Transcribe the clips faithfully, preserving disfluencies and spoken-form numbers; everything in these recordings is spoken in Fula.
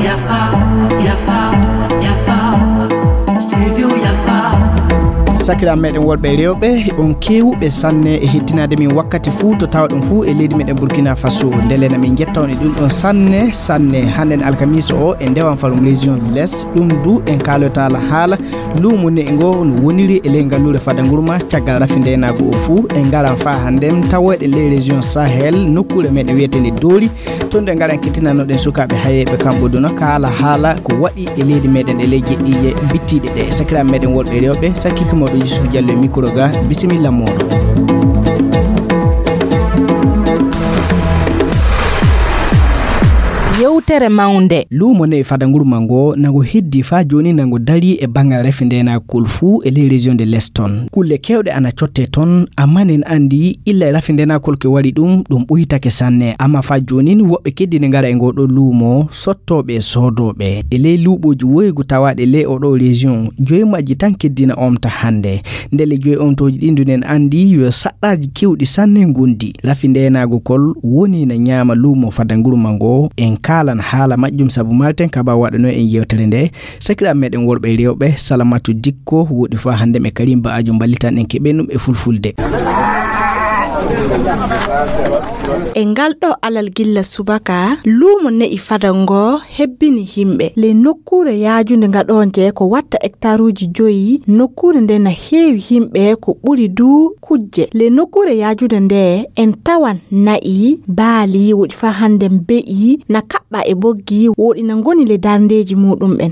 Yafa, yafa, yafa. Studio Yafa. Sakiraaɓe meɗen worɓe e rewɓe, on keewuɓe sanne e hettinaade min wakkati fuu to tawɗon fuu e leydi meɗen Burkina Faso. Ndele na min njetta on e ɗum ɗon sanne, sanne. Hannden alkamiisa o e ndewan farum région de l'Est, ɗum du en kaalotaala haala luumo ne'i ngo no woniri e ley ngalluure Fada Ngurma caggal rafi ndeenaagu o fuu. En ngaran faa hannden tawoyɗe ley région Sahel, nokkuure meɗen wiyeteende Doori. Toon nde ngaran kettinanoɗen sukaaɓe hayeeɓe kamɓe duna kaala haala ko waɗi e leydi meɗen e ley jeɗɗiije bittiiɗe ɗe. Sakiraaɓe meɗen worɓe e rewɓe, sakiike mooɗo Yusuf Diallo e micro ga, bisimilla mooɗo. Yewtere mawnde. Luumo ne'i Fada Ngurma ngo, nango heddi faa jooni nango darii e banngal rafi ndeenaakol fuu e ley région de l'Est toon. Kulle keewɗe ana cottee toon, ammaa nen anndi illa e rafi ndeenaakol ko waɗi ɗum, ɗum ɓuytake sanne. Ammaa faa joonin woɓɓe keddini ngara e ngoo ɗoo luumo, sottooɓe e soodooɓe. E ley luuɓooji woygu tawaaɗi e ley oo ɗoo région, joyi majji tan keddina omta hannde. Ndelle joyi omtooji ɗin du nen anndi yo saɗɗaaji keewɗi sanne ngondi. Rafi ndeenaagol woni na ñaama luumo Fada Ngurma ngo. En kaalan haala majjum sabu malten kaba waɗanoo en yewtere nde. Sakiraaɓe meɗen worɓe e rewɓe, Salamatu Dikko woɗi faa hannde e Karim Ba'ajo mballitan en keɓen ɗum e fulfulde. E ngal ɗo alal gilla subaka, luumo ne'i Fada ngo hebbini yimɓe. Ley nokkuure yaajunde ngaɗoonje ko watta hektaruuji joyi, nokkuure nde na heewi yimɓe ko ɓuri du kujje. Ley nokkuure yaajunde nde en tawan na'i, baali, woɗi faa hannde be'i, na kaɓɓa e boggi, woɗi na ngoni ley darndeeji muɗum ɓen.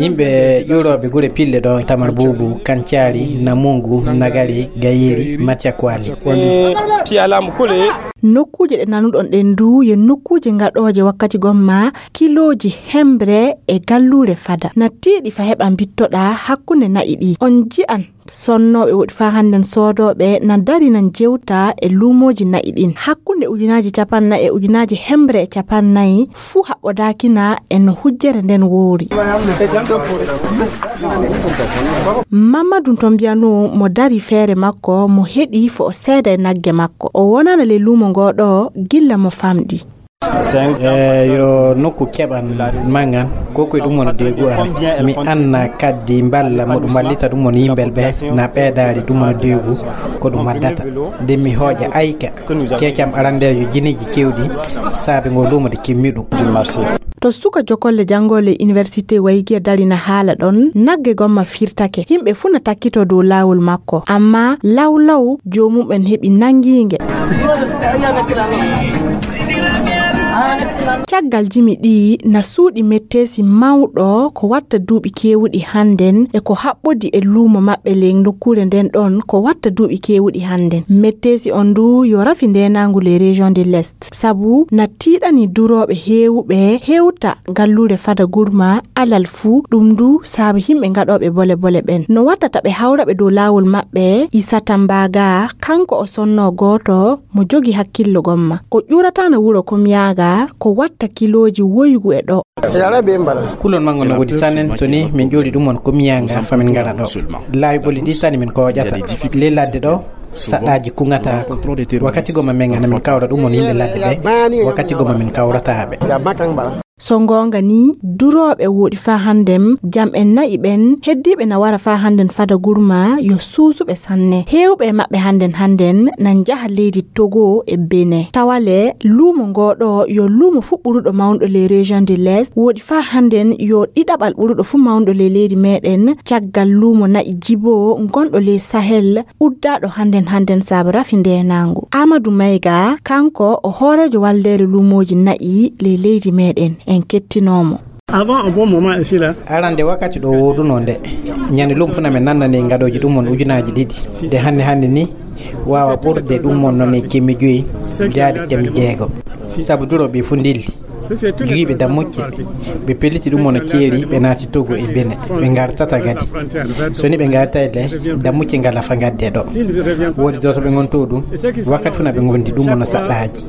Yimɓe ƴuurooɓe gure pille ɗo, Tamar Buubu, Kancaali, Namungu, Nagari, Gayeri, Maccakwali. Nokkuuje ɗe nanuɗon ɗen du, yo nokkuuje ngaɗooje wakkati gomma kilooji hembre e galluure Fada. Na tiiɗi fa heɓa mbittoɗaa hakkunde na'i ɗi. On ji'an sonnooɓe woɗi faa hannden soodooɓe na dari nan jewta e luumooji na'i ɗin. Hakkunde ujunaaji capannay e ujunaaji hembre e capannay fuu haɓɓodaakina e no hujjere nden woori. Mamadu Tombiyanu mo dari feere makko, mo heɗi fo o seeda e nagge makko. O wonana le luumo ngoo ɗoo gilla mo famɗi. E yo nokku keɓan mangan, ko koye ɗum woni deegu amen. Mi anna kaddi mballa mo ɗum wallita ɗum woni yimɓel ɓe, na ɓeedaari ɗum woni deegu ko ɗum waddata. Nde mi hooƴa ayka, keecam arandeejo jiniiji cewɗi, saabe ngo luumo de kimmi ɗum. To suka jokolle janngoole université Waygiya darina haala ɗon, nagge gomma firtake. Yimɓe fuu na takkitoo dow laawol makko, ammaa law law joomum en heɓi nanngiinge. Caggal jimi ɗi na suuɗi metteesi mawɗo ko watta duuɓi keewuɗi hannden e ko haɓɓodi e luumo maɓɓe ley nokkuure nden ɗon ko watta duuɓi keewuɗi hannden. Metteesi on du yo rafi ndeenaangu ley région de l'Est. Sabu na tiiɗani durooɓe heewuɓe hewta galluure Fada Gurma alal fuu, ɗum du saabu yimɓe ngaɗooɓe bole bole ɓen. No wattata ɓe hawra ɓe dow laawol maɓɓe, Isata Mbaga, kanko o sonnoo gooto mo jogi hakkillo gomma. O ƴuurataana wuro Komiyaaga ko watta kilooji woygu e ɗo. Kulol manngo no woodi sannen, so ni min ƴooli ɗum on Komiyaaga fa min ngara ɗo. Laawi ɓoli ɗi sani min kooƴata. Ley ladde ɗo, saɗɗaaji kuŋataako. Wakkati goma men ngana min kawra ɗum on yimɓe ladde ɓe. Wakkati goma min kawrataa ɓe. So ngoonga ni, durooɓe woɗi faa hannden, jam en na'i ɓen, heddiiɓe na wara faa hannden Fada Gurma, yo suusuɓe sanne. Heewɓe e maɓɓe hannden hannden na njaha leydi Togo e Benin. Tawa le, luumo ngoo ɗo yo luumo fuu ɓuruɗo mawnuɗo ley région de l'Est, woɗi faa hannden yo ɗiɗaɓal ɓuruɗo fuu mawnuɗo ley leydi meɗen, caggal luumo na'i Jibo ngonɗo ley Sahel, uddaaɗo hannden hannden saabe rafi ndeenaangu. Aamadu Mayga, kanko o hooreejo waldeere luumooji na'i ley leydi meɗen. En kettinoo mo. Avant un bon moment ici là. Arande wakkati ɗo woodunoo nde, ñande luumo fuu na min nannani ngaɗooji ɗum on ujunaaji ɗiɗi. Nde hannde hannde ni, waawa ɓurde ɗum on noon e kemme joyi, jaari kemme jeego. Sabu durooɓe fuu ndilli. Giwiiɓe dammucce, ɓe pelliti ɗum on ceeri, ɓe naati Togo e Benin, ɓe ngartata gadi. So ni ɓe ngartay le, dammucce ngala fa ngadde ɗo. Woodi dooto ɓe ngonto ɗum, wakkati fuu na ɓe ngondi ɗum on saɗɗaaji.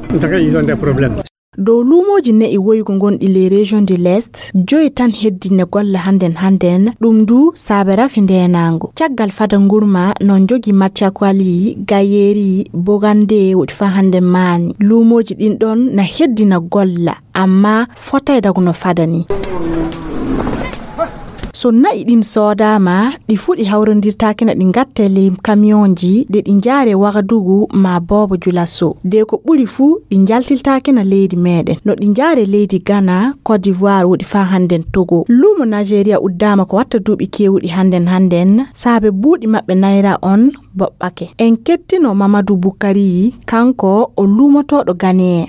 Dow luumooji na'i woygu gonɗi les régions de l'Est, joyi tan heddi na golla hannden hannden, ɗum du saabe rafi ndeenaango. Caggal fada ngurma no jogi Matiakwali, Gayeri, Bogande woɗi faa hannden maani. Luumooji ɗin ɗon na heddi na golla, amma fotay dagu no fada ni. So na'i ɗin soodaama, ɗi fuɗi hawrondirtaakina ɗi ngatte ley kamiyonji de ɗi njaare Wagadugu maa boobo Julaso. De ko ɓuri fuu ɗi njaltiltaakina leydi meeɗen. No ɗi njaare leydi Ghana, Côte d'Ivoire woɗi faa hannden Togo. Luumo Nigeria uddaama ko watta duuɓi keewuɗi hannden hannden, saabe buuɗi maɓɓe nayra on boɓɓake. En kettino Mamadou Boukari, kanko o luumotooɗo Ghaneen.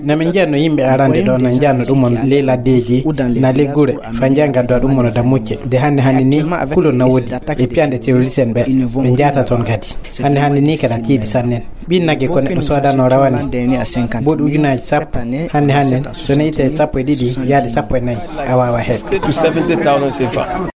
Na min njiya no yimɓe arande ɗo na njanno ɗum on ley laddeeji, na ley gure, fa njiya ngaddowa ɗum on dammucce. De hannde hannde ni, kulol na woodi, e piyande terroriste en ɓe, ɓe njata toon kadi. Hannde hannde ni kadi tiiɗi sannen. Ɓiin nagge ko neɗɗo soodano rawane. Mboɗi ujunaaji sappo, hannde hannde, so ne itte sappo e ɗiɗi, yaade sappo e nayi, a waawa heɓ.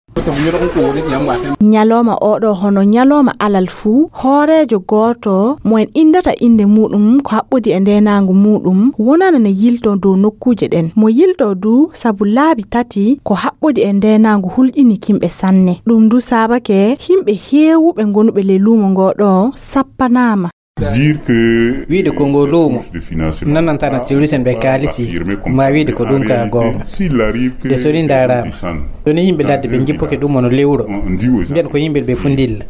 Ñalooma oo ɗoo hono ñalooma alal fuu, hooreejo gooto mo en inndata innde muuɗum ko haɓɓodi e ndeenaangu muuɗum wonana ne yiltoo dow nokkuuje ɗen. Mo yiltoo du sabu laabi tati ko haɓɓodi e ndeenaangu hulƴini kimɓe sanne. Ɗum du saabake himɓe heewuɓe gonuɓe ley luumo ngoo ɗoo sappanaama. Dire que wiide ko ngo luumo nanantana terroriste en ɓe kaalisi, ma wiide ko ɗum ka goonga. De so ni ndaaraama, so ni yimɓe ladde ɓe njippoke ɗum ono lewro, mbiyan ko yimɓe ɓe fu ndilla.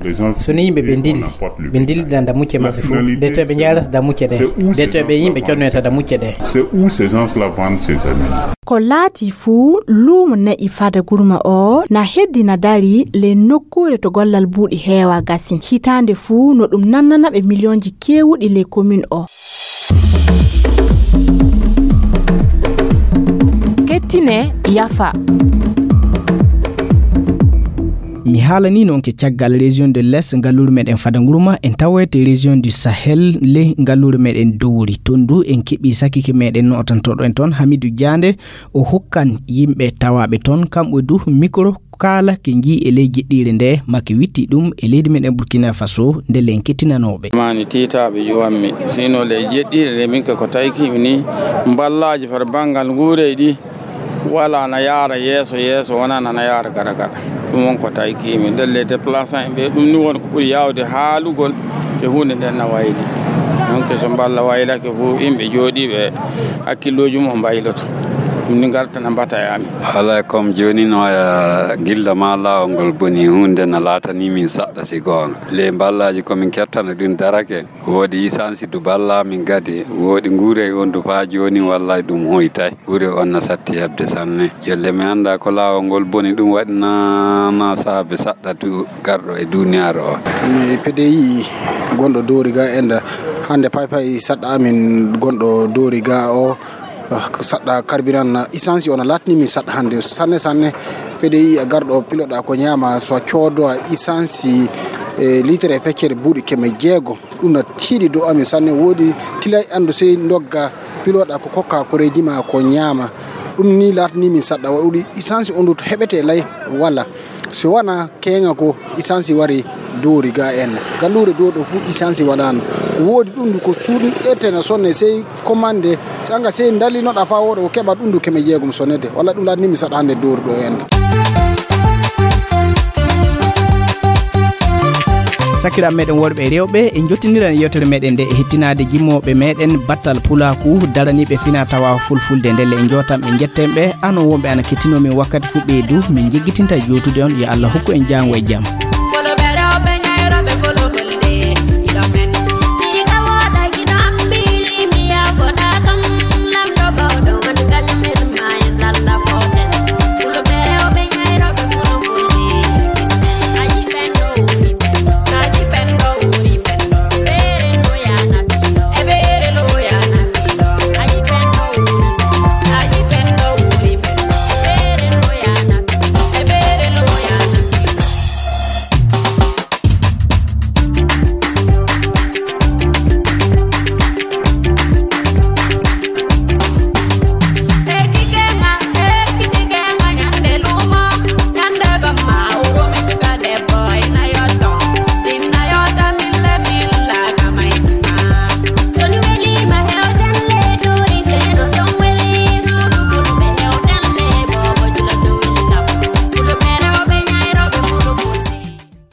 So ni yimɓe ɓe ndilli, ɓe ndillida dammucce maɓɓe fu. De to ɓe njaarata dammucce ɗe, de to ɓe yimɓe connoyata dammucce ɗe. C'est où ces gens-là vendent ces animaux? Ko laati fuu, luumo na'i fada gurma o na heddi na dari ley nokkuure to gollal buuɗi heewa gasin. Hitaande fuu no ɗum nannana ɓe miliyonji keewuɗi ley komin o. Kettine yafa. Mi haalanii noon ke caggal région de l'Est, ngalluure meɗen fada ngurma, en tawoyte région du Sahel, ley ngalluure meɗen Dowri. Toon du en keɓii sakike meɗen nootantoɗo en toon, Hamidou Diande, o hokkan yimɓe tawaaɓe toon, kamɓe du micro, kaala ke njii e ley jeɗɗiire nde, make witti ɗum e leydi meɗen Burkina Faso, nde len kettinanooɓe. Mani tiitaaɓe ƴuwanmi, sino ley jeɗɗiire nde min ke ko taykimi ni, mballaaji far banngal nguurey ɗi, wala na yaara yeeso, yeeso wona na yaara gada gada. Ɗum won ko taykimi. Ndelle déplaçant en ɓe, ɗum ni won ko ɓuri yaawde haalugol ke huunde nden na wayli. Donc so mballa waylake fu, yimɓe jooɗiiɓe hakkillooji mum o mbayloto. Ɗum ni ngarta na mbata e amin. Alaa, comme jooni no, eh, gilla ma laawol ngol boni, huunde na laatani min saɗɗa si goonga. Le mballaaji ko min kettana ɗum darake. Wooɗi isansi du balla min gadi, wooɗi nguurey on du faa jooni, wallay ɗum hoytay. Nguurey on na satti heɓde sanne. Jolle mi annda ko laawol ngol boni, ɗum waɗi na, na saabe saɗɗa du garɗo e duniyaaru o. Mi P D I gonɗo Dowri ga enda hannde pay pay saɗɗa amin gonɗo Dowri ga o, ah, saɗɗa carburant na isansi on laatni min saɗɗa hannde sanne sanne. P D I a garɗo piloɗa ko ñaama so coodo a isansi e litre e feccere buuɗi keme jeego. Ɗum na tiiɗi dow amin sanne. Woodi tilay anndu sey ndogga piloɗa ko kokka koreeji ma ko ñaama. Ɗum ni laatani min saɗɗa waɗuɗi isansi on du to heɓete lay wala. Si wana keŋa ko isansi wari Dowri ga en. Galluure Dowri ɗo fu isansi waɗano. Woodi ɗum du ko suuɗete na sonne sey commande. Si anga sey ndalinoɗa fa woɗo ko keɓa ɗum du keme jeegom sonnete. Walla ɗum laatani min saɗɗa hannde Dowri ɗo en. Sakiraaɓe meɗen worɓe e rewɓe, en jottiniran yewtere meɗen nde e hettinaade jimooɓe meɗen battal pulaaku daraniiɓe fina tawa fulfulde. Ndelle en jootan ɓe njetten ɓe, anon wonɓe ana kettinoo min wakkati fu ɓeydu, min jiggitinta jootude on. Yo Allah hokku en jaango e jam.